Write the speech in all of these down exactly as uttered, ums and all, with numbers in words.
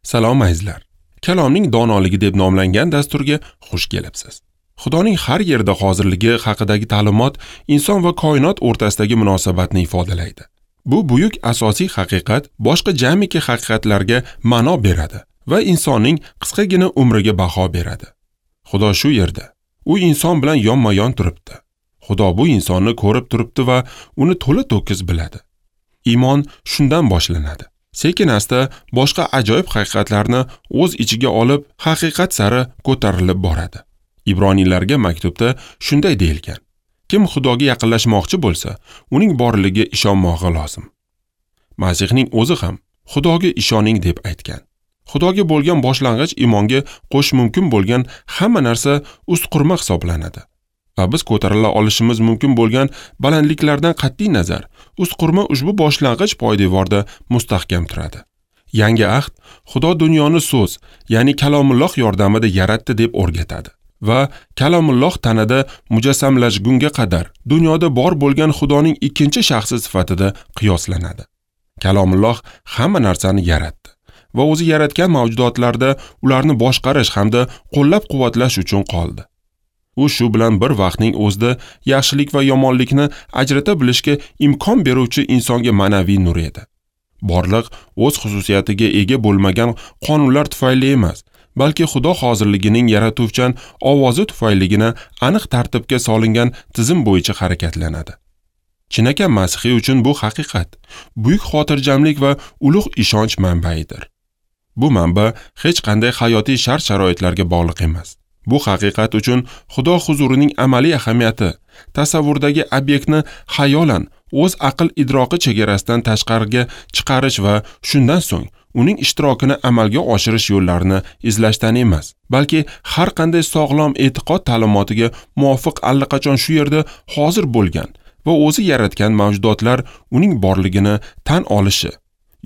Salom azizlar. Kalomning donoligi deb nomlangan dasturga xush kelibsiz. Xudoning har yerda hozirligi haqidagi ta'limot inson va koinot o'rtasidagi munosabatni ifodalaydi. Bu buyuk asosiy haqiqat boshqa jamiki haqiqatlarga ma'no beradi va insonning qisqagina umriga baho beradi. Xudo shu yerda. U inson bilan yonma-yon turibdi. Xudo bu insonni ko'rib turibdi va uni to'la-to'kis biladi. Iymon shundan boshlanadi. Sekin-asta boshqa ajoyib haqiqatlarni o'z ichiga olib, haqiqat sari ko'tarilib boradi. Ibroniylarga maktubda shunday deyilgan: Kim Xudoga yaqinlashmoqchi bo'lsa, uning borligiga ishonmog'i lozim. Masihning o'zi ham Xudoga ishoning deb aytgan. Xudoga bo'lgan boshlang'ich iymonga qo'shish mumkin bo'lgan hamma narsa ustqurma hisoblanadi. Va biz ko'tarila olishimiz mumkin bo'lgan balandliklardan qat'iy nazar, ustqurma ushbu boshlang'ich poydevorda mustahkam turadi. Yangi ahd Xudo dunyoni so'z, ya'ni kalomulloh yordamida yaratdi deb o'rgatadi va kalomulloh tanada mujassamlashgunga qadar dunyoda bor bo'lgan Xudoning ikkinchi shaxsi sifatida qiyoslanadi. Kalomulloh hamma narsani yaratdi va o'zi yaratgan mavjudotlarda ularni boshqarish hamda qo'llab-quvvatlash uchun qoldi. U shu bilan bir vaqtning o'zida yaxshilik va yomonlikni ajrata bilishga imkon beruvchi insonga ma'naviy nur edi. Borliq o'z xususiyatiga ega bo'lmagan qonunlar tufayli emas, balki Xudo hozirligining yaratuvchan ovozi tufayligina aniq tartibga solingan tizim bo'yicha harakatlanadi. Chinakam masihiy uchun bu haqiqat buyuk xotirjamlik va ulug' ishonch manbaidir. Bu manba hech qanday hayotiy shart-sharoitlarga bog'liq emas. Bu haqiqat uchun Xudo huzurining amaliy ahamiyati tasavvurdagi obyektni xayolan o'z aql idroqi chegarasidan tashqariga chiqarish va shundan so'ng uning ishtirokini amalga oshirish yo'llarini izlashdan emas, balki har qanday sog'lom e'tiqod ta'limotiga muvofiq allaqachon shu yerda hozir bo'lgan va o'zi yaratgan mavjudotlar uning borligini tan olishi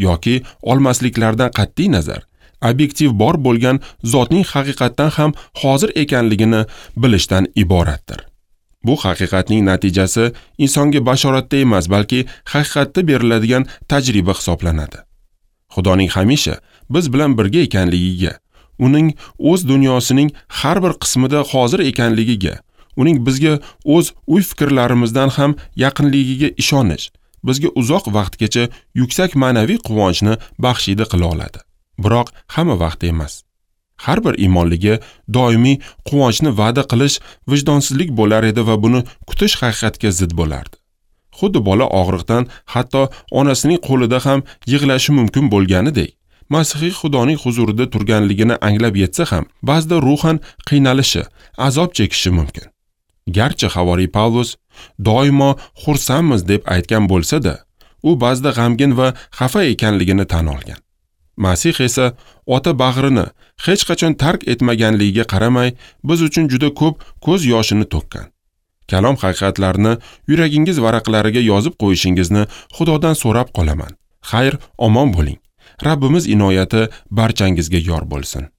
yoki olmasliklaridan qat'iy nazar obyektiv bor bo'lgan zotning haqiqatdan ham hozir ekanligini bilishdan iboratdir. Bu haqiqatning natijasi insonga bashoratda emas, balki haqiqatda beriladigan tajriba hisoblanadi. Xudoning hamisha biz bilan birga ekanligiga, uning o'z dunyosining har bir qismida hozir ekanligiga, uning bizga o'z o'y-fikrlarimizdan ham yaqinligiga ishonish bizga uzoq vaqtgacha yuksak ma'naviy quvonchni baxshida qila oladi. Biroq hamma vaqt emas. Har bir iymonliga doimiy quvonchni va'da qilish vijdonsizlik bo'lar edi va buni kutish haqiqatga zid bo'lardi. Xuddi bola og'riqdan hatto onasining qo'lida ham yig'lashi mumkin bo'lganidek, masihiy Xudoning huzurida turganligini anglab yetsa ham, ba'zida ruhan qiynalishi, azob chekishi mumkin. Garchi havoriy Pavlus doimo xursandmiz deb aytgan bo'lsa-da, u ba'zida g'amgin va xafa ekanligini tan olgan. Masih esa ota bag'rini hech qachon tark etmaganligiga qaramay, biz uchun juda ko'p ko'z yoshini to'kkan. Kalom haqiqatlarini yuragingiz varaqlariga yozib qo'yishingizni Xudodan so'rab qolaman. Xayr, omon bo'ling. Rabbimiz inoyati barchangizga yor bo'lsin.